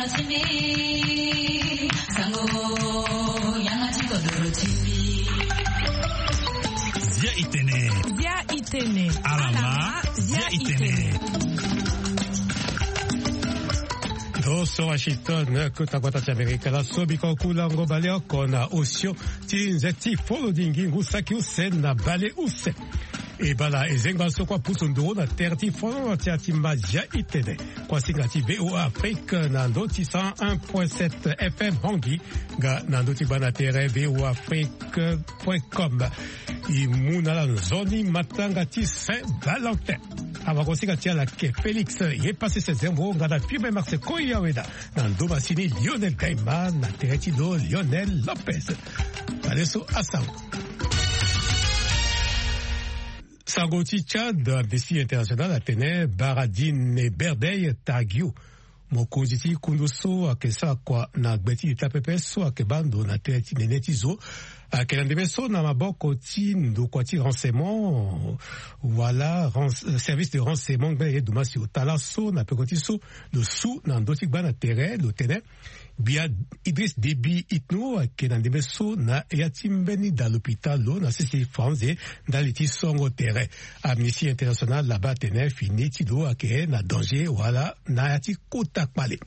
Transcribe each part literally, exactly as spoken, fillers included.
Zia itene. Zia itene. Alama, zia itene. Ndo so Washington, kota gbata ti Amerika, laso biko kulango baleoko na osio ti nze ti folo dingi ngu saki use na bale use. E bala e zengba so kua pusu nduru na tere ti folo ti atima zia itene. Kuasinga ti V O A Afrique na ndo ti cent un point sept F M Bangui, nga na ndo ti gba na tere V O A Afrique point com. E mu na ala nzoni matanga ti Saint Valentin. Awakosinga ti ala ke Félix ye pasi se zembo nga na Firme Marse Koyaweda na ndo masini Lionel Gaima na tere ti lo Lionel Lopez. Baleso asango. Sango ti Tchad, Amnesty International atene Baradine Berdey Tagio, mokonzi ti kundu so ayeke sara kua na gbe ti ita pepe so ayeke baa ndo na tere ti nene ti zo, ayeke na ndembe so na maboko ti ndokua ti renseignement wala rens-, service de renseignement ngbene ye dumasi ota laso na peko ti so lo su na ndö ti gba na tere lo tene gbia Idriss Déby Itno ayeke na ndembe so na ya ti mbeni da lopitalo na sese Franze ndali ti songo tere. Amnesty International laba atene fini ti lo ayeke na danger wala na ya ti kota kpale.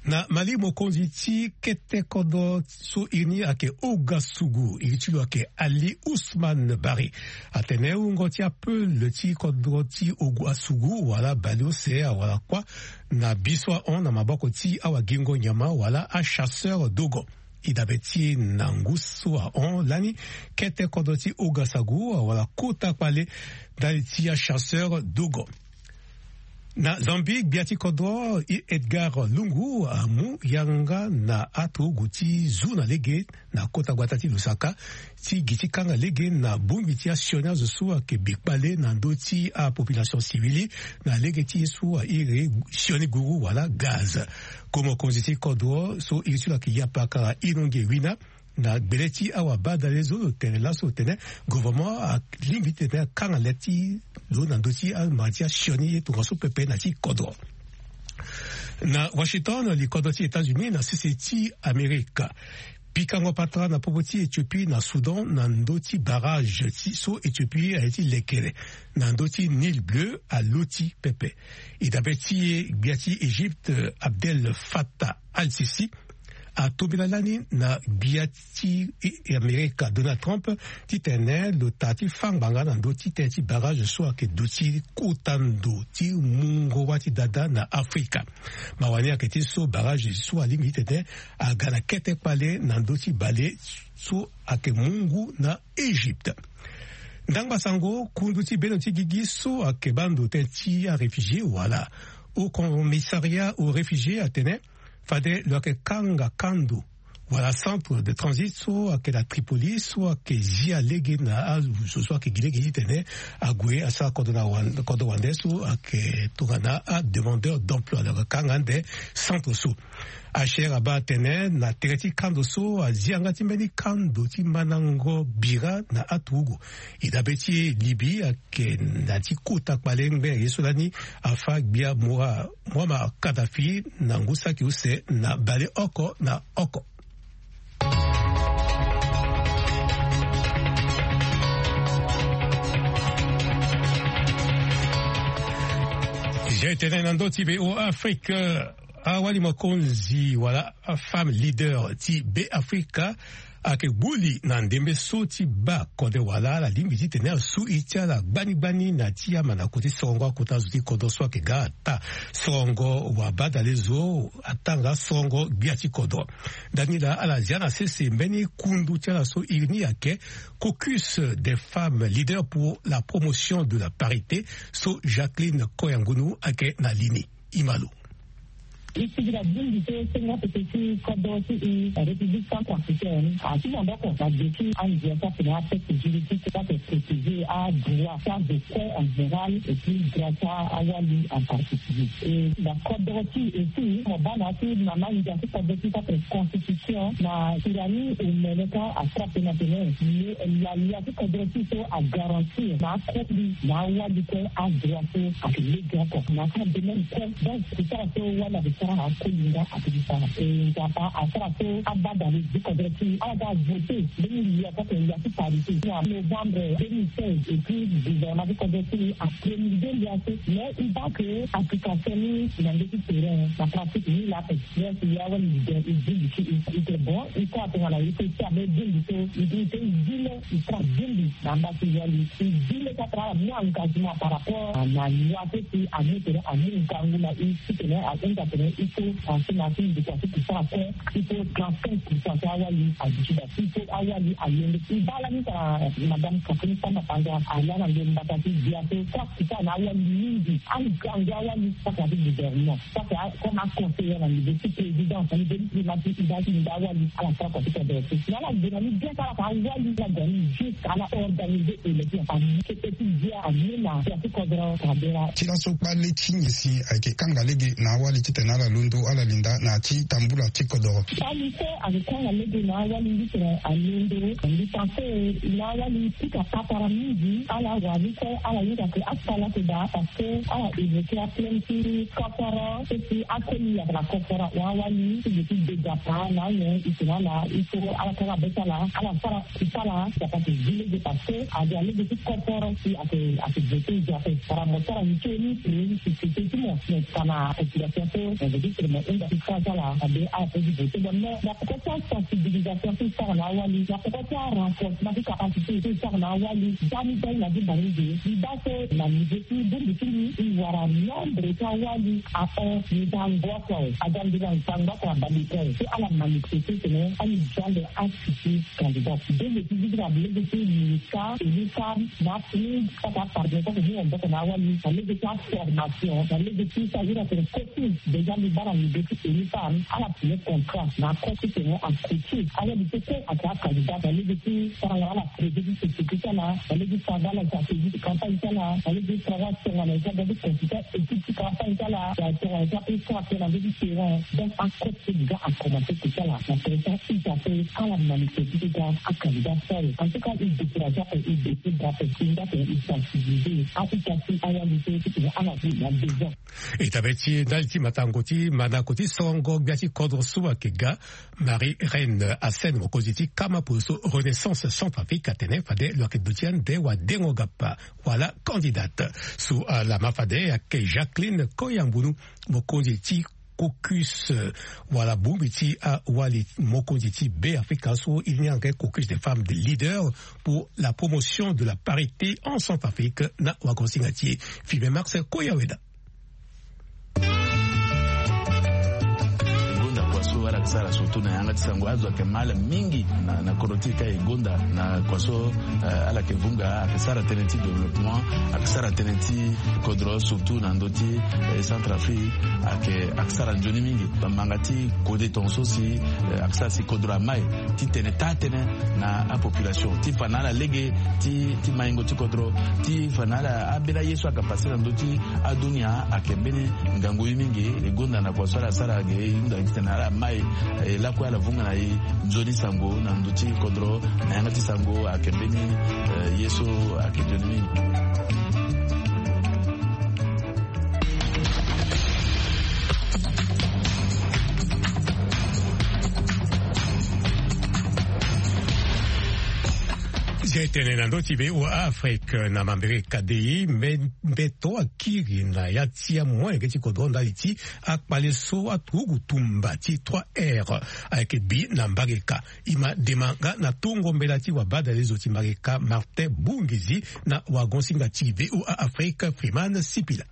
Na Mali, mokonzi ti kete kodro so iri ni ayeke Ouagasougou, iri ti lo ayeke Ali Ousmane Barry, atene wungo ti apeul ti kodro ti Ouagasougou wala baleuse awara kuâ na bi so ahon na maboko ti awagingo nyama wala achasseur dogon. E dabe ti e na ngu so ahon lani, kete kodro ti Ouagasougou awara kota kpale ndali ti achasseur dogon. Na Zambie, gbia ti kodro Edgar Lungu amu yanga na aturugu ti zu na lege na kota gbata ti Lusaka ti gi ti kanga lege na bongbi ti asioni azo so ayeke bi kpale na ndö ti apopulation civile na lege ti ye so airi sioni guru wala gaz. Ko mokonzi ti kodro so iri ti lo ayeke Yapakara Inonge Wina, na gbele ti awabadale zo lo tene laso lo tene gouvernement alingbi ti tene akanga le ti lo na ndö ti amara ti asioni ye tongaso pepe na ti kodro. Na Washington, likodro ti États-Unis na sese ti Amerika pikango patara na popo ti Éthiopie na Soudan na ndö ti barrage ti so Éthiopie aye ti lekere na ndö ti Nil Bleu aloti pepe. E dabe ti e gbia ti Égypte Abdel Fattah al-Sisi atombela lani na gbia ti Amerika Donald Trump titene lo ta ti fâ ngbanga na ndö ti tënë ti barrage so ayeke duti kota ndo ti mungo wâ ti dada na Afrika. Mawa ni ayeke ti so barrage so alingbi titene aga na kete kpale na ndö ti bale so ayeke mu ngu na Égypte. Ndangba sango, kundu ti bendo ti gigi so ayeke baa ndo tënë ti aréfugié wala Haut Commissariat aux Réfugiés atene fade lo yeke kanga kando wala centre de transit so ayeke na Tripoli so ayeke zia lege na azo so ayeke gi lege titene ague asara kodro na wan-, kodro wande so ayeke tongana ademandeur d'emploi. Lo yeke kanga ande centre so. H R abaa atene na tere ti kando so azia yanga ti mbeni kando ti mandango bira na aturugu. E dabe ti e Libye ayeke na ti kota kpale ngbene ye so lani afâ gbia Moa-, Muammar Kadhafi na ngu saki use na baleoko na oko. Zia e tene na ndö ti V O A Afrique, awali mokonzi wala afemme leader ti Beafrika ayeke gbu li na ndembe so ti baa kode wala ala lingbi titene asu iri ti ala gbani gbani na ti amandako ti sorongo akota zo ti kodro so ayeke ga ata sorongo wabadale zo atanga sorongo gbia ti kodro. Ndani laa ala zia na sese mbeni kundu ti ala so iri ni ayeke Caucus des femmes leaders pour la promotion de la parité so Jacqueline Koyangunu ayeke na li ni. Imalo. E sigi na bongbi so sengo pepe ti kodro ti e, République centrafricaine, ati maboko na gbe ti andia ti atene atexte juridique ti ake protéger adroit ti azo kue en général et puis droit ti awali en particulier. E na kodro ti e si mo baa na ya ti mama ndia ti kodro ti ake constitution na Tirani Omeleka attrape na tene lalia ti kodro ti so agarantir na akoli na awali kue adroit so ake lege oko na aka domaine kue. Donc c'est ça so wala Sara akolinga apikisa e Nzapa asara so abada le du kodro ti ala ga vote. Deux mille huit akote ya ti parité na novembre deux mille seize et puis gouvernement ti kodro ti apromulgué lia so mais i baa ke application ni na nde ti terrain na pratique ni la pe. Yes, ya wali leader i bingbi ti i ite bon i ko atongana i pe ti abe bingbi so i bi i pe i zi le i tra bingbi na amba ti wali i zi le ti atara amu engagement par rapport na loi so si amu tene amu ngangu na i titene ahunda tene il faut penser na ti ndokua ti pouvoir kue. Il faut trente-cinq pour cent ti awali aduti da il faut awali alonde i baa lani tara madame Catherine Samba Panza ala na nde mbata ti bia so sara ti sara na awali mingi angangu awali sara na ti gouvernement. Sara comme aconseiller na niveau ti présidence na niveau ti primature i baa ti nda awali ala sara kua ti kodro ti na ala gue na ni bien sara ka awali ala gue na ni juste ala organiser élection ami kete ti dia ami na dia ti kodro kabera. Ti laso kpale ti ngi si ayeke kanga lege na awali titene ala londo ala linda na ti tambula ti kodoro. Kpale so ayeke kanga lege na awali nditene alondo ndita so na awali ti ka patara mingi ala wani so ala hinga ke asala ke daa parce que ala évoquer aplainte ti koforo so si akoli yaka na koforo wa awali ti gi ti dega pa na ayen i tene ala il faut ala kanga be ti ala ala sara ti sara yaka ti gi lege parce que ade alege ti koforo si ake ake vote i gi ape. Para mo sara ni so ni prévu si société ti mo mais kana population so mo veut dire mo hunda ti sara ti ala ade ala pe ti vote bon mais na poko ti asensibilisation so i sara na awali na poko ti arenforcement ti capacité so i sara na awali dani dani na ti bangi ge i baa so na niveau ti bongbi ti ni i wara nombre ti awali ahon nzango oko awe aga nzango oko abale oko awe so ala manifeste tene ani jande asisi candidat. Bongbi ti vivre na lege ti ministère élu femme na fille saka pardon saka ni wamboko na awali na lege ti aformation na lege ti sa ira tene coaching déjà li baa na niveau ti élu femme ala signer contrat na ako ti tene acoacher awali so kue ake acandidat na lege ti sara na ala projet ti société ti ala na lege ti sara na ala stratégie ti campagne ti ala na lege ti sara na ala tongana eza ga ti consulter équipe ti campagne ti ala na tongana eza pe sara pe na lege ti terrain. Donc acoach so déjà akomanse ti ti ala na tene ti aita so ala manifeste ti ga acandidat so awe en tout cas i décourage ape i décourage ape i nga tene i sensibiliser aita so awali so ti tene ala ti na besoin. E tabê ti ndali ti matango ti mandako ti songo gbia ti kodro so ayeke ga Marie Reine Assène mokonzi ti kama polo so Renaissance Centrafrique atene fade lo yeke duti ande wadengo gapa wala candidate so alama fade ayeke Jacqueline Koyambunu mokonzi ti caucus wala bongbi ti awali mokonzi ti Beafrika so i ni ayeke caucus des femmes des leaders pour la promotion de la parité en Centrafrique na wagosinga ti e. Filme Max Koyaweda. E gonda kua so ala yeke sara surtout na yanga ti sango azo ayeke ma ala mingi na, na kodro ti e ka e gonda na kua so, eh, ala yeke vunga ayeke sara tënë ti développement ayeke sara tënë ti kodro surtout na ndö ti, eh, Centrafrique ayeke ayeke sara nzoni mingi. Bambanga ti kode tongaso si, eh, ayeke sara si kodro amai ti tene taa-tënë na apopulation ti fa na ala lege ti, ti maingo ti kodro ti fa na ala ambeni aye so ayeke pase na ndö ti adunia ayeke mbeni ngangu ye mingi. E gonda na kua so ala sara ge e hunda gi tene ala mai, eh, lakue ala vunga na e nzoni sango na ndö ti kodro na yanga ti sango ayeke mbeni, eh, ye so ayeke nzoni mingi. Zia e tene na ndö ti V O A Afrique na mambere kadei mbe-, mbeto akiri na ya ti amolenge ti kodro ndali ti akpale so aturugu tumba ti trois R ayeke bi na mbage ka. E ma dema nga na tongo mbela ti wabadale zo ti mbage ka Martin Bungizi na wagosinga ti V O A Afrique Freeman Sipila.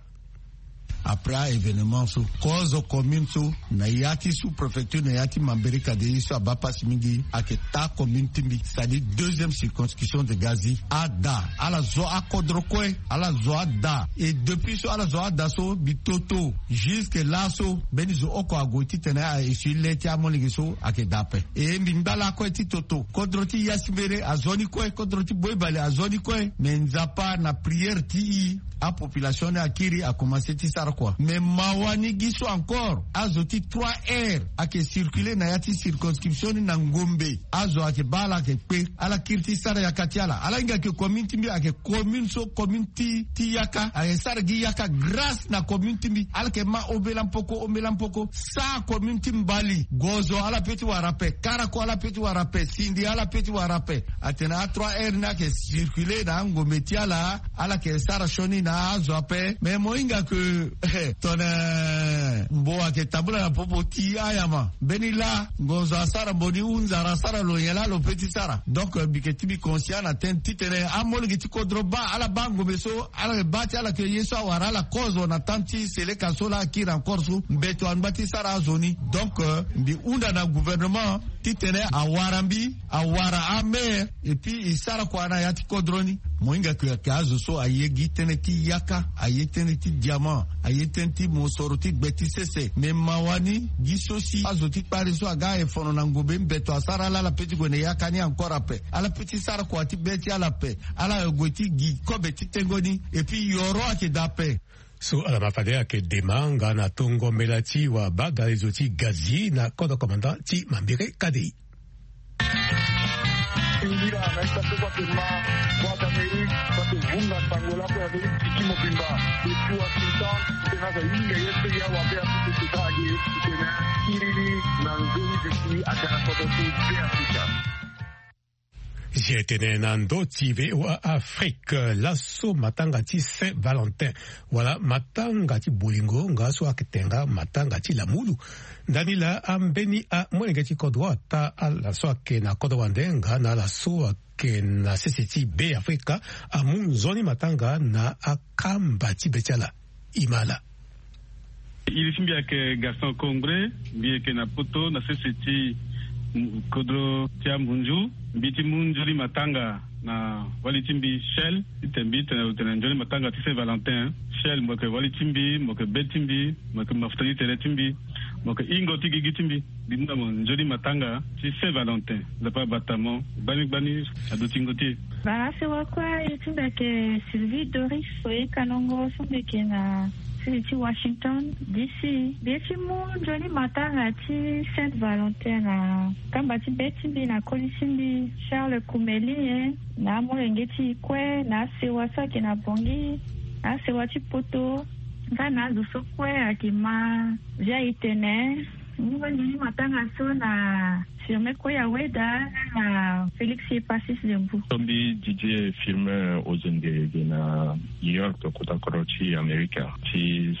Après a-événement so kozo commune so na ya ti sous-préfecture na ya ti mambere kadei so abaa pasi mingi ayeke taa commune ti mbi c'est-à-dire deuxième circonscription de Gazi. Ada ala zo akodro kue ala zo ada. Et depuis so ala zo ada so mbi toto jusque laso mbeni zo oko ague titene a essuyer le ti amolenge so ayeke daa ape. E mbi ngba lakue ti toto kodro ti yasimbere azo ni kue kodro ti boibale azo ni kue. Me Nzapa na prière ti e apopulation ni akiri akomanse ti sara Kua mais mawa ni gi so encore azo ti trois heures ayeke circuler na ya ti circonscription ni na ngombe. Azo ayeke baa ala ayeke kpe ala kiri ti sara yaka ti ala ala hinga ayeke commune ti mbi ayeke commune so commune ti ti yaka ayeke sara gi yaka grâce na commune ti mbi ala yeke ma ombela mpoko ombela mpoko sa commune ti mbali gozo ala pe ti wara ape karako ala pe ti wara ape sindi ala pe ti wara ape. Atene a trois heures ni ayeke circuler na angombe ti ala ala yeke sara sioni na azo ape mais mo hinga ke tone mbo ayeke tambula na popo ti ayama mbeni laa ngonzo asara mbo ni hunzara asara lo nyen laa lo pe ti sara. Donc mbi yeke ti mbi conscient na tene titene amolenge ti kodro baa ala baa ngombe so ala yeke baa ti ala ke ye so awara ala kozo na temps ti seleka so laa akiri encore so mbeto angba ti sara azo ni. Donc mbi hunda na gouvernement titene awara mbi awara amaire et puis e sara kua na ya ti kodro ni. Mo hinga ke ayeke azo so aye gi tënë ti yaka aye tënë ti diamant aye tënë ti mosoro ti gbe ti sese mais mawa ni gi so si azo ti kpari so aga aye fono na ngombe mbeto asara ala ala pe ti gue na yaka ni encore ape ala pe ti sara kua ti be ti ala ape. Ala gue ti gi kobe ti tengo ni et puis yoro ayeke daa ape. So ala ma fade ayeke dema nga na tongo mbela ti wabagalezo ti gazi na kodro commandant ti mambere kadei. Indira na ita so bate ma boîte d'Amérique bate vunga sango lako ya veri tiki mobimba depuis Washington tena za yinga ye pe ya wabe ya kutu kuta age tena iriri na nzoni veti akana koto ti be Afrika. Zi etene na ndo ti V O A Afrique laso matanga ti Saint Valentin wala matanga ti bolingo nga so ayeke tenga matanga ti lamulu. Ndani laa ambeni amolenge ti kodro ata ala so ayeke na kodro wande nga na ala so ayeke na sese ti Be Afrika amu nzoni matanga na akamba ti be ti ala. Imala. Iri ti mbi ayeke Gaston Congbre, mbi yeke na poto na sese ti kodro ti Ambunzu. Mbi ti mu nzoni matanga na wali ti mbi Shell titene mbi tene lo tene nzoni matanga ti Saint Valentin. Shell mo yeke wali ti mbi, mo yeke be ti mbi, mo yeke mafuta ti tere ti mbi, mo yeke hingo ti gigi ti mbi. Mbi mu na mo nzoni matanga ti Saint Valentin. Nzapa abata mo gbani gbani. Aduti ngo ti e. Baa sewa kue aye ti mbi ayeke Sylvie Doris Oyekanongo so mbi yeke na sini ti Washington D C. Mbi ye ti mu nzoni matanga ti Saint Valentin na kamba ti be ti mbi na koli ti mbi Charles Kumelie na amolenge ti e kue na asewa so ayeke na Bangui na asewa ti poto nga na azo so kue ayeke ma via e tene. Nzoni matanga so na Firmin Koya Weda na Félix Epasis Lembu. Tombi Didier Firmin Ozenge ge na New York kota kodro ti Amerika ti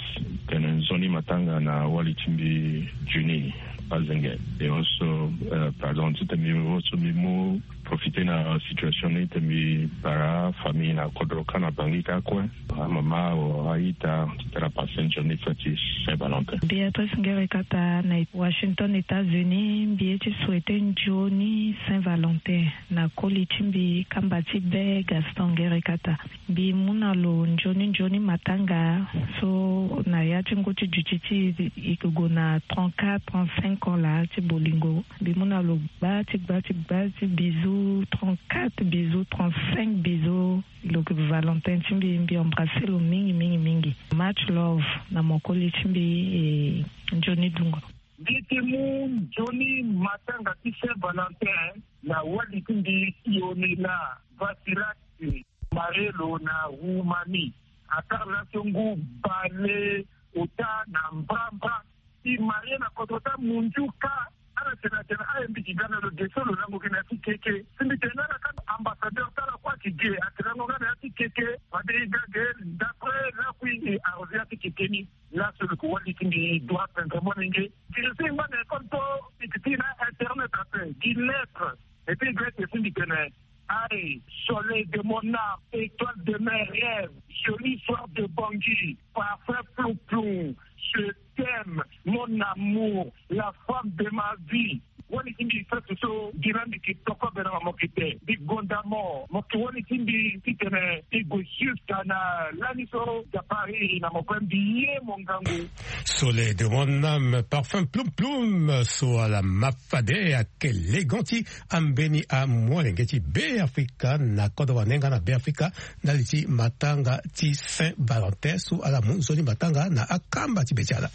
tene nzoni matanga na wali ti mbi Juni Azenge. E oso pardon titene mbi oso mbi mu profiter na situation ni titene mbi bara famille na kodro kâ na Bangui kâ kue. Amama o aita titene apasse nzoni fête ti Saint Valentin. Béatrice Ngerekata na Washington, États-Unis. Mbi ye ti souhaiter nzoni Saint Valentin na koli ti mbi kamba ti be Gaston Ngerekata. Mbi mu na lo nzoni nzoni matanga so na ya ti ngu ti duti ti e yeke gue na trente-quatre, trente-cinq ans laa ti bolingo. Mbi mu na lo gba ti gba ti gba ti bisous, trente-quatre bisous, trente-cinq bisous. Lo yeke Valentin ti mbi, mbi embrasser lo mingi mingi mingi. Much love na mo koli ti mbi. E nzoni dungo. Mbi ti mu nzoni matanga ti Saint Valentin na wali ti mbi Sionela Vasirati. Marie lo na Roumanie. Akara laso ngu bale ota na mbrambra. E marie na kodro ti amunzu kâ. Ala tene atene aye mbi gi ga na lo ge so lo lango gi na ya ti keke. Si mbi tene na ala kâ ambassadeur ti ala kue ayeke ge ake lango nga na ya ti keke. Fade e ga ge d'après lakui e arrosé ya ti keke ni. Laso lo yeke wali ti mbi droit pendere molenge. Tiri so e ngba na école so e yeke ti na internet ape gi lettre. Et puis e ga ete si mbi tene. Aïe, soleil de mon âme, étoile de mes rêves, joli soir de Bangui, parfum plou-plou, je t'aime, mon amour, la femme de ma vie. Wali ti mbi fête so gi la mbi yeke toko bena ma mo yeke te mbi gonda mo. Mo ki wani ti mbi titene ti gue jusqu'à na lani so. Japari na mo kue mbi ye mo ngangu. Soleil de mon âme, parfum plum plum so ala ma fade ayeke legon ti ambeni amolenge ti Beafrika na kodro wande nga na Beafrika ndali ti matanga ti Saint Valentin so ala mu nzoni matanga na akamba ti be ti ala.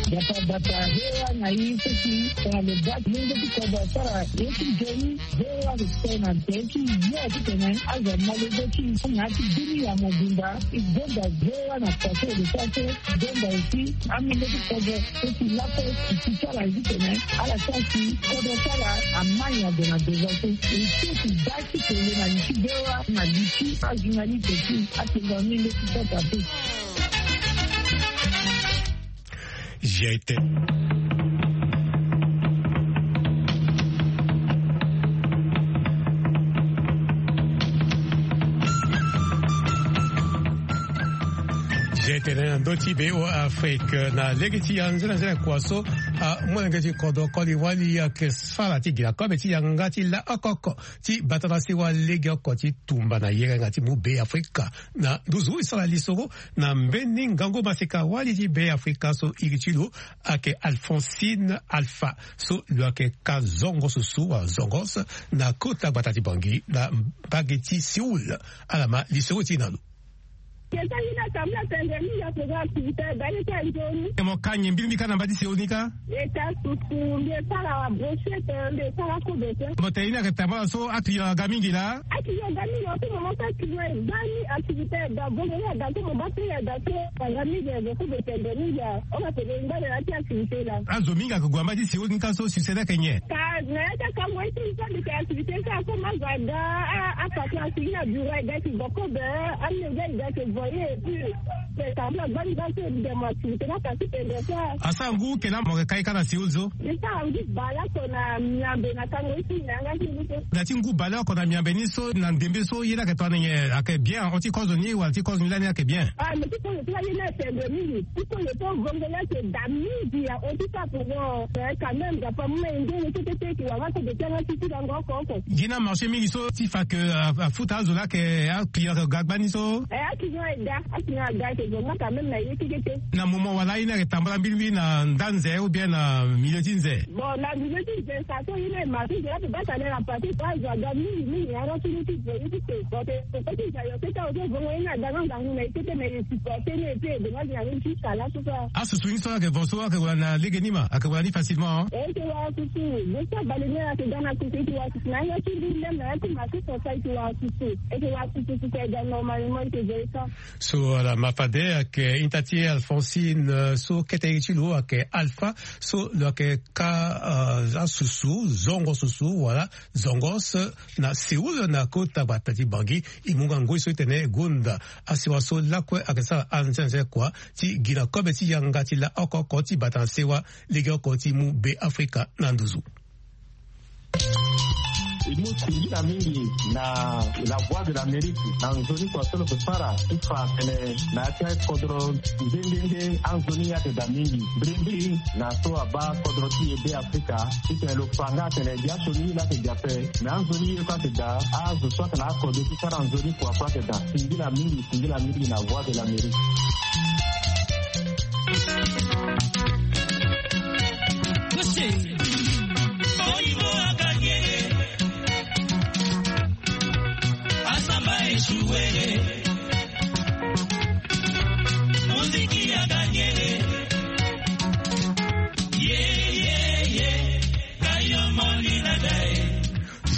Bata bata hewa na i seki tongana lo bati mungo ti kobo asara ye ti nzoni. Hewa lo so na nze ti ye titene azo amolenge ti i na ya ti bini ya mobimba. I gonda hewa na pase lo so aso i gonda aussi amolenge ti kobo so ti lakue ti ti ti ala titene ala sara si kobo ti ala amai ado na devant so. E so ti baa ti tene na li ti hewa na li ti ajournaliste ti atenda amolenge ti kota te. G T. G T na ndö ti Bêo Afrique na lege ti anzene anzene kua so amolenge ti kodro koli wali ayeke sara ti gi na kobe ti yanga ti la oko oko ti bata na sewa legeoko ti tumba na yerenga ti mu Bêafrika na nduzu. E sara lisoro na mbeni ngangu maseka wali ti Bêafrika so iri ti lo ayeke Alphonsine Alpha so lo ayeke ka zongo susu wala zongos na kota gbata ti Bangui na mbage ti Séoul. Ala ma lisoro ti e na lo. Keta ye ni atambula tendre mingi ape ga activité aga ye ti anzoni. E mo ka nyen mbiri mbi ka na mba ti Séoul ni ka? E ka susu mbi e sara brochette mbi e sara kobe te. Mo tene ye ni ayeke tambula so aclient aga mingi laa? Aclient aga mingi laa so mo mo so aclient e baa ni activité aga bongo ni aga so mo baa prix aga so aga mingi aga kobe tendre mingi a. Oko atene ngba na ya ti activité laa. Azo mingi ayeke gue na mba ti Séoul ni ka so succès ni ayeke nyen? Ka na ya ti akango ye ti mbi so mbi tene activité ni ka so ma zo aga a apatron asigi na bureau aga ti gue kobe. Amolenge aga ti voye et puis. Te tambula gbani gbani so mbi tene mo activité ni aka ti tendre so. Asara ngu tena mo yeke ka ye ka na Séoul so? Mbi sara ngu baleoko na miambe na kango ye ti mbi na yanga ti mbi so. Na ya ti ngu baleoko na miambe ni so na ndembe so ye ni ayeke tongana nyen? Ayeke bien ahon ti kozo ni wala ti kozo ni lani ayeke bien? Ah, mais ti kozo ti lani ni atendre mingi. Ti kozo ti ovongo ni ayeke da mingi ahon ti sa pour moi. Mais quand même Japon amu na e nzoni kete ti e yeke wara so de ti yanga ti ti lango oko oko. Gi na marché mingi so ti fa ke afuta azo laa ayeke aclient ayeke ga gbani so? Eh, aclient ayeke ga, aclient ayeke ga, ayeke zo nga quand même na ye keke te. Na moment wala ye ni ayeke tambula mbirimbiri na nda nze ou bien na milieu ti nze? Bon, na milieu ti nze sa so ye ni ayeke marché nze la pe baa tane na parti so azo aga mingi mingi yanga so ye ti zo ye ti te. Bon, te koko ti nze ayo kete azo so vongo ye ni ada nga ngangu na ye kete mais e supporter ni et puis e donga gi na ni ti sala so so. Asusu ni so ayeke vo so ayeke wara na lege ni ma ayeke wara ni facilement? Eh, e yeke wara susu. Bo so abale ni ayeke ga na susu e yeke wara susu na yanga ti mbi même na ya ti marché so sa e yeke wara susu. E yeke wara susu susu ayeke ga normalement e yeke zo ye ka. So ala ma fade ayeke hinta ti e Alphonsine so kete iri ti lo ayeke Alpha so lo yeke ka asusu zongo susu wala zongos na Séoul na kota gbata ti Bangui. E mu nga ngoi so e tene gonda asewa so lakue ayeke sara anze anze kua ti gi na kobe ti yanga ti la oko oko ti bata na sewa legeoko ti mu Bêafrika na nduzu. E mu singila mingi na La Voix de l'Amérique na nzoni kua so lo yeke sara ti fa atene na ya ti akodro nde nde nde anzoni ye ayeke daa mingi. Mbirimbiri na so abaa kodro ti e Bêafrika titene lo fa nga atene gi asioni ye laa ayeke daa ape. Me anzoni ye kue ayeke daa azo so ayeke na akode ti sara nzoni kua kue ayeke daa. Singila mingi, singila mingi na Voix de l'Amérique.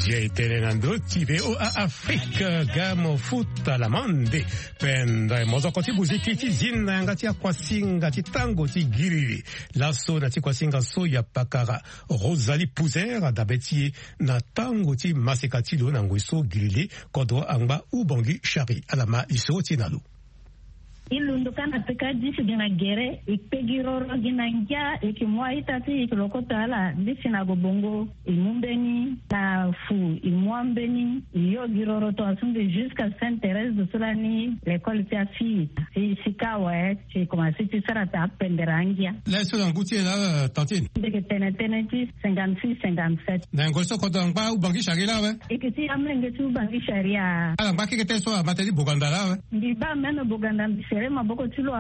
Ye tene na ndö ti V O A Afrique ga mo futa lamande. Pendere mozoko ti buziki ti zin na yanga ti akuasinga ti tango ti giriri. Laso na ti kuasinga so ya pakara Rosalie Pouzer adabe ti e na tango ti maseka ti lo na ngoi so giriri kodro angba Ubangui Chari ala ma lisoro ti e na lo. E londo kâ na peka dix gi na gere, e kpe gi roro gi na ngia, e yeke mu a-ita ti e, e yeke lo kota ala. Dix na gue bongo, e mu mbeni na fu, e mu ambeni, e yo gi roro tongaso mbi jusqu'à Sainte Thérèse de so lani l'école ti afille. Si, si kâ awe, si e komanse ti sara taa pendere angia. Laso na ngu ti e laa, tantine? Mbi yeke tene tënë ti cinquante-six, cinquante-sept. Na ngoi so kodro angba Ubangui Chari laa awe? E yeke ti amolenge ti Ubangui Chari. Ala ngba keke tënë so ama tënë ti Boganda laa awe? Mbi baa même Boganda, mbi sere maboko ti lo.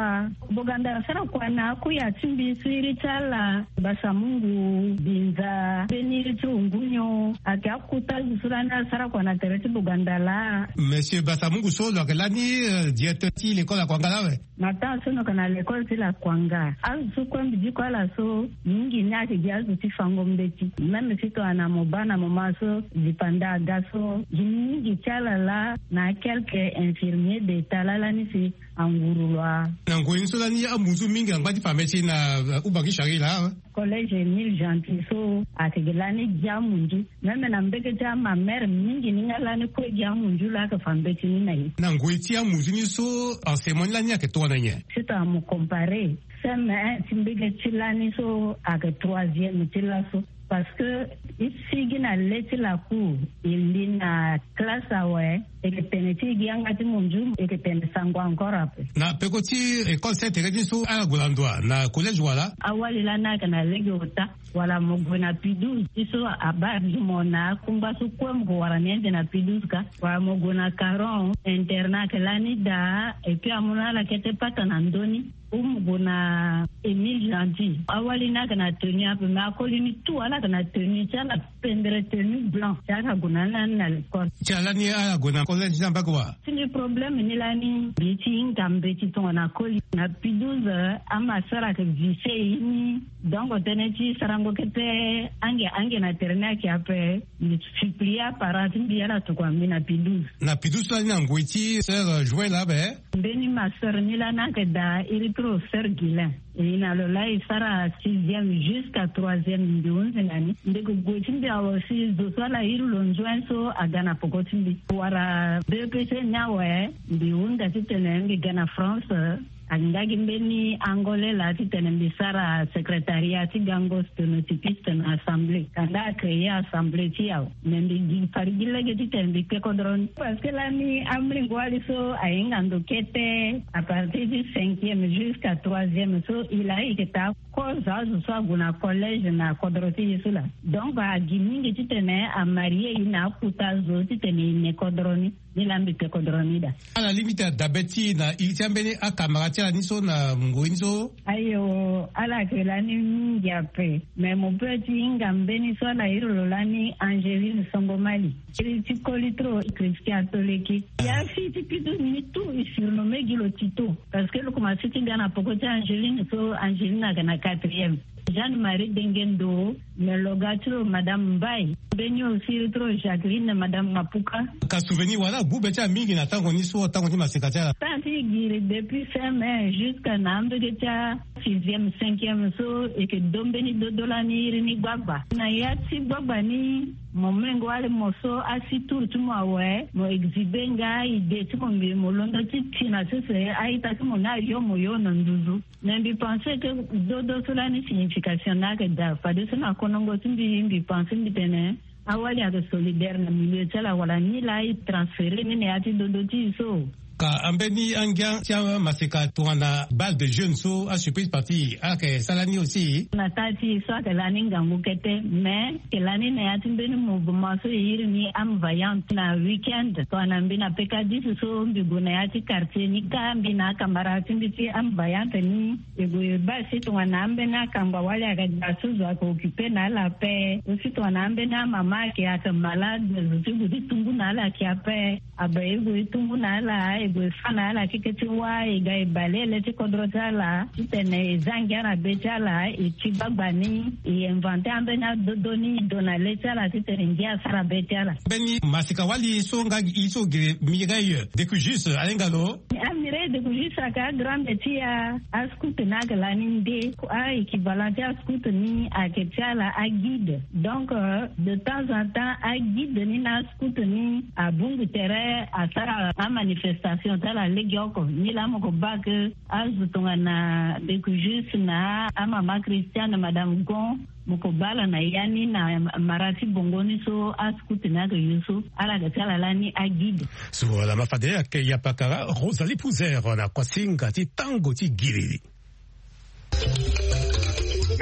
Boganda asara kua na akuya ti mbi so iri ti ala Basamungu, Binza, mbeni iri ti Ungunyo, ayeke akuta azo so lani asara kua na tere ti Boganda laa. Monsieur Basamungu so lo yeke lani, euh, directeur ti l'école Akwanga laa awe? Na temps so lo yeke na l'école ti Lakwanga, azo so kue mbi diko ala so, mingi ni ayeke gi azo ti fango mbeti. Même si tongana mo baa na moment so, dipanda aga so, gi mingi ti ala laa na quelques infirmiers d'état laa lani si anguru lo a. Na ngoi ni so lani amunzu mingi angba ti fa mbeti na, euh, Ubangui Chari laa awe? Collège Émile Gentil so ayeke gi lani gi amunzu. Même na mbege ti amamere mingi ni nga lani kue gi amunzu laa ayeke fa mbeti ni na e. Na ngoi ti amunzu ni so, enseignement ni lani ayeke tongana nyen? Si tongana mo comparer, C M un ti mbege ti lani so ayeke troisième ti laso. Parce que e sigi na le ti lacour, e li na classe awe, e yeke tene ti e gi yanga ti munzu, e yeke tene sango encore ape. Na peko ti école Sainte Thérèse ni so, ala gue na ndo wa na collège wala? Awali lani ayeke na lege ota. Wala mo gue na P douze, ti so abaa gi mo na akungba so kue mo gue wara ni ande na P douze ka. Wala mo gue na Caron, internat ayeke lani daa, et puis amu na ala kete pata na ndö ni. Ou mo gue na Émile Gentil, awali ni ayeke na tenue ape, mais akoli ni tout ala yeke na tenue ti ala, pendere tenue blanc, ti ala gue na ni lani na l'école. Ti ala ni ala gue na collège ni ambage wa? Ti mbi problème ni lani, mbi ti hinga mbeti tongana koli. Na P douze, ama so ala yeke vise e ni. Donc tënë ti sarango kete ange ange na tere ni ayeke ape. Mbi supplie aparent ti mbi ala tokua mbi na P douze. Na P douze so lani na ngoi ti sœur, euh, Joël ape? Mbeni ma sœur ni lani ayeke daa iri ti lo sœur Guilain. E na lo laa e sara sixième jusqu'à troisième, mbi hunzi na ni. Ndeke gue ti mbi awe si zo so ala iri lo nzuen so aga na peko ti mbi. Wala B E P C ni awe, mbi hunda titene mbi ga na France. Ayeke nga gi mbeni Angolais laa titene mbi sara secrétariat ti gango sténotypiste na assemblée. Kanda acréer assemblée ti e awe. Mais mbi gi fade gi lege titene mbi kpe kodro ni. Parce que lani amolenge wali so ahinga ndo kete, à partir du cinquième jusqu'à troisième so, e laa e yeke taa kozo azo so ague na collège na kodro ti e so laa. Donc agi mingi titene amarie e na akuta azo titene e ne kodro ni. Ni laa mbi kpe kodro ni daa. Ala lingbi ti dabe ti e na iri ti ambeni akamara ti ala ni so na ngoi ni so? Ayo, ala yeke lani mingi ape. Mais mo peut ti hinga mbeni so ala iri lo lani Angeline Songomali. Iri ti koli ti lo Christian Toleki. Ya fille ti P douze ni tout e surnommé gi lo Tito. Parce que lo komanse ti ga na peko ti Angeline so, Angeline ayeke na quatrième. Jeanne-Marie Dengendo, me lo ga ti lo Madame Mbaye. Mbeni aussi iri ti lo Jacqueline, Madame Mapuka. Ka souvenir wala agu be ti ala mingi na tango ni so, tango ti maseka ti ala? Tango ti e giri depuis C M un jusqu'à na ambege ti asixième, cinquième so, e yeke do mbeni dodo lani iri ni gbagba. Na ya ti gbagba ni, mo mengo wali mo so asi tour ti mo awe, mo exhiber nga idée ti mo, mbi mo londo ti ti na sese a-ita ti mo ni ayo mo yo na nduzu. Mais mbi pense que dodo so lani signification ni ayeke daa. Fadeso na konongo ti mbi, mbi pense mbi tene awali ayeke solidaire na milieu ti ala, wala ni laa e transférer ni na ya ti dodo ti e so. Ka ambeni angia ti amaseka tongana bal de jeune so, asurprise party, ala yeke sara ni aussi? Na taa ti e so ayeke lani ngangu kete, mais ayeke lani na ya ti mbeni mouvement so e iri ni Âme Vaillante. Na week-end tongana mbi na peka dix so, mbi gue na ya ti quartier ni kâ, mbi na akamara ti mbi ti Âme Vaillante ni. E gue e baa si tongana ambeni akamba wali ayeke daa so zo ayeke occupé na ala ape. Ou si tongana ambeni amama ayeke, ayeke malade, zo ti gue ti tungu na ala ayeke ape. Abe e gue e tungu na ala, e gue e fâ na ala keke ti wâ, e ga e bale le ti kodro ti ala titene e zia ngia na be ti ala, e ti gbagba ni, e inventer ambeni adodo ni, e do na le ti ala titene ngia asara be ti ala. Mbeni maseka wali so nga gi e so gere Mireille Decujus, ahinga lo? Amireille Decujus ayeke agrande ti a, ascout ni ayeke lani nde. A-équivalent ti ascout ni ayeke ti ala aguide. Donc, euh, de temps en temps aguide ni na ascout ni abongbi tere asara amanifestation. Si mo tala legeoko ni laa mo ko baa ke azo tongana Beku Juste na amama Christiane, madame Gon, mo ko baa ala na ya ni na mara ti bongo ni so ascout ni ayeke use so ala ga ti ala lani aguide. So ala ma fade ayeke yapakara Rosalie Pouzer na kuasinga ti tango ti giriri.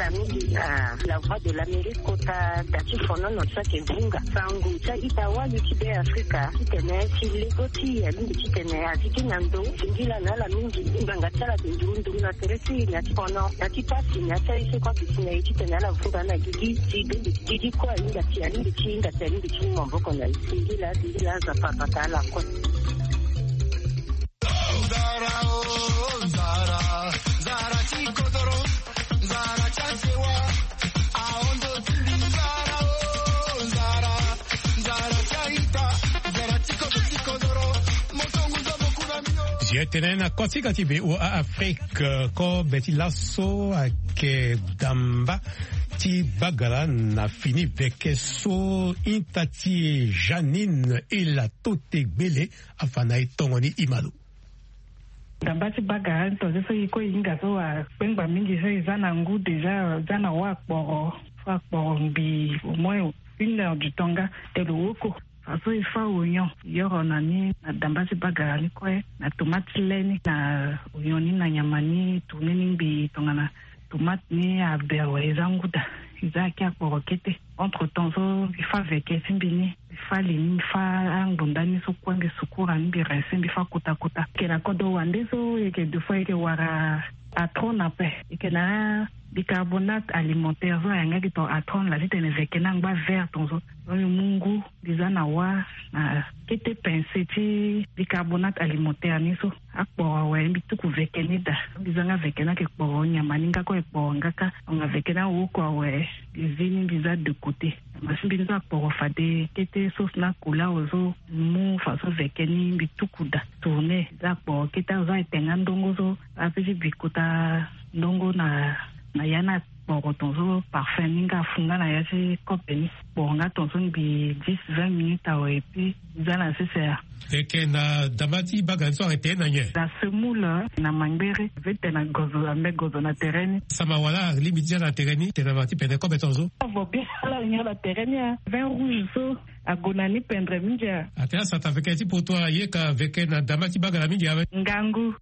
Mingi na La Voix de l'Amérique kota da ti fonono ti ayeke vunga sango ti a-ita wali ti Be Afrika titene ti lego ti alingbi titene a zi gi na ndo. Singila na ala mingi ngbanga ti ala ayeke nduru nduru na tere ti e na ti fono na ti pasi na ya ti aye so kue ake si na e titene ala vunga na gigi ti bembe ti gigi kue ahinga si alingbi ti hinga si alingbi ti mu maboko na e. Singila singila aza papa ta ala kue. Zi etene na kosika ti V O A Afrique, kobe ti laso ayeke damba ti bagala na fini veke so ita ti e Janine Ela Tote Gbele afa na e tongo ni ima lo. Damba ti bagala ni tongaso so e kue e hinga so akpengba mingi so e za na ngu déjà, za na wa akporo so akporo ngbii au moins une heure du temps nga te lo woko. Fa so e fa oignon e yoro na ni na damba ti bagala ni kue na tomate ti le ni na oignon ni na nyama ni tourne ni ngbii tongana tomate ni aber awe e za ngu daa. E za ake akporo kete. Entre temps so e fa veke ti mbi ni, mbi fa li ni, mbi fa angbonda ni so kue, mbi sukura ni, mbi rince, mbi fa kota kota. E yeke na kodro wande so e yeke deux fois e yeke wara atron na ape. E yeke na bicarbonate alimentaire so ayangaki tongana atron laa titene veke ni angba vert tongaso. Donc mbi mu ngu mbi za na wa na kete pince ti bicarbonate alimentaire ni so. Akporo awe mbi tuku veke ni daa. Mbi za nga veke ni ayeke kporo nyama ni nga kue ayeke kporo nga kâ. Donc aveke ni awoko awe mbi zi ni mbi za de côté. Nyama ti mbi ni so akporo fade kete so si na akula awe so. Mu fa so veke ni mbi tuku daa tourne za akporo kete awe so ayeke tenga ndongo so. Ape ti bi kota ndongo na na ya ni akporo tongaso parfum ni nga afu nga na ya ti kope ni. Kporo nga tongaso ngbii dix vingt minutes awe et puis za na sese ya. E yeke na damba ti bagala ni so ayeke tene na nyen? Na semoule na mangbere. Vete na gozo ambe gozo na tere ni. Sama wala alingbi ti za na tere ni tene na ma ti pene kobe tongaso. Avo bien ala nyon na tere ni a vin rouge so ague na ni pendre mingi a. Atene asata veke ti poto aye ka veke na damba ti bagala mingi awe. Ngangu.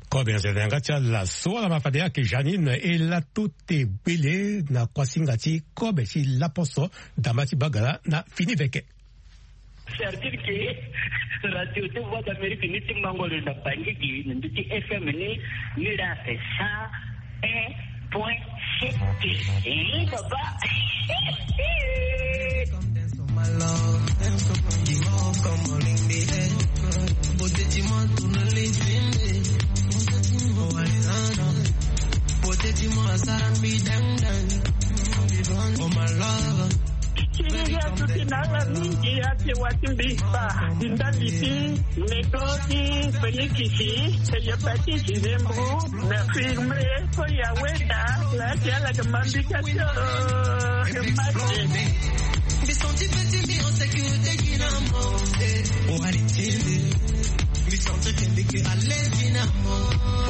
Kobe na zende na yanga ti ala so ala ma fade ayeke Janine Ela Tote Gbele na kuasinga ti kobe ti laposo damba ti bagala na fini veke. C'est-à-dire que Radio de Voix d'Amérique ni ti mango lo na Bangui gi na ndö ti F M ni, ni la fait ça. Un point sept. Eh, papa. Ti ni ya duti na ala mingi ake wa ti mbi kpa. Ti ndali ti meko ti Félix ti hépatite ti zembo na firme so ya weda la ti ala ke mambi ka ti o. Mbi senti pe ti mbi en sécurité gi na mo. Wali ti mbi. Mbi senti ke mbi ke à l'aise gi na mo.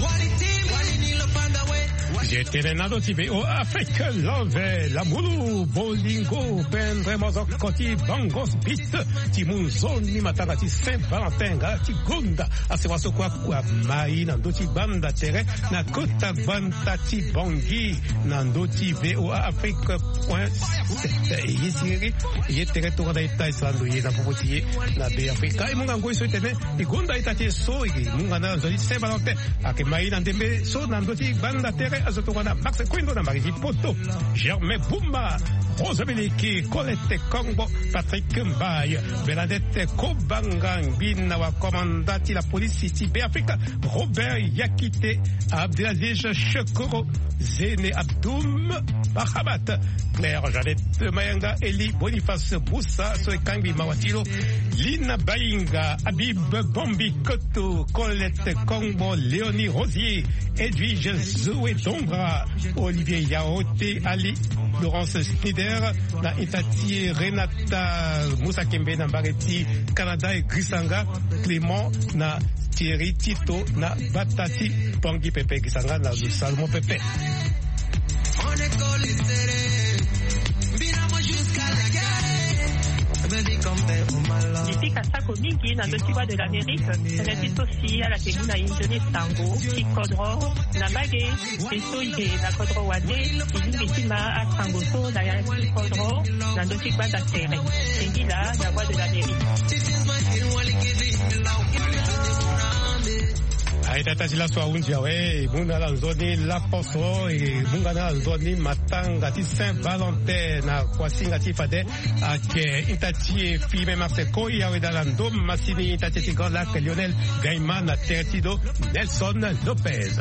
Wali ti mbi. Wali ni lo panda we. Zi etene na ndo ti V O A Afrique Love, lamulu, bolingo, pendre mozoko ti Bangos Beat, ti mu nzoni matanga ti Saint Valentin nga ti gonda. Asewa so kue akua mai na ndö ti gbanda tere na kota gbanda ti Bangui na ndö ti V O A Afrique point sept. E ye ti iri e ye tere tongana ita e sara ndo ye na popo ti ye na Be Afrika. E mu nga ngoi so e tene e gonda ita ti e so e mu nga na nzoni ti Saint Valentin. Ayeke mai na ndembe so na ndö ti gbanda tere azo tongana Max Kuindo na mbage ti poto, Germain Bumba, Rosa Beleke, Colette Kongbo, Patrick Mbaye, Bernadette Kobanga, ngbina wa komanda ti la polisi ti Be Afrika, Robert Yakite, Abdelaziz Shekoro, Zene Abdoum, Mahamat, Claire Jeannette Mayanga, Elie Boniface Boussa, so e kangbi mawa ti lo, Lina Bainga, Habib Bombi Koto, Colette Kongbo, Léonie Rosier, Edwige Zoé Dombra, Olivier Yaoté, Ali Laurence Snider, na ita ti Renata Musa Kembe na mbage ti Canada, e Grisanga Clément na Thierry Tito na bata ti Pongi pepe, Grisanga na Salomon pepe. Mbi pika sako mingi na ndö ti Voix de l'Amérique, tënë ti so si ala yeke mu na e nzoni sango ti kodro na mbage. Mbi so e yeke na kodro wande, e lingbi ti ma asango so na ya ti kodro na ndö ti gbanda tere. Singila na Voix de l'Amérique. Aye, tata ti laso ahunzi awe, e mu na ala nzoni laposo, e mu nga na ala nzoni matanga ti Saint Valentin na kuasinga ti fade. Ayeke ita ti e Firmin Marseille Koy, awe daa na ndo masini ita ti e ti Grand Lac Lionel Gaima na tere ti lo Nelson Lopez.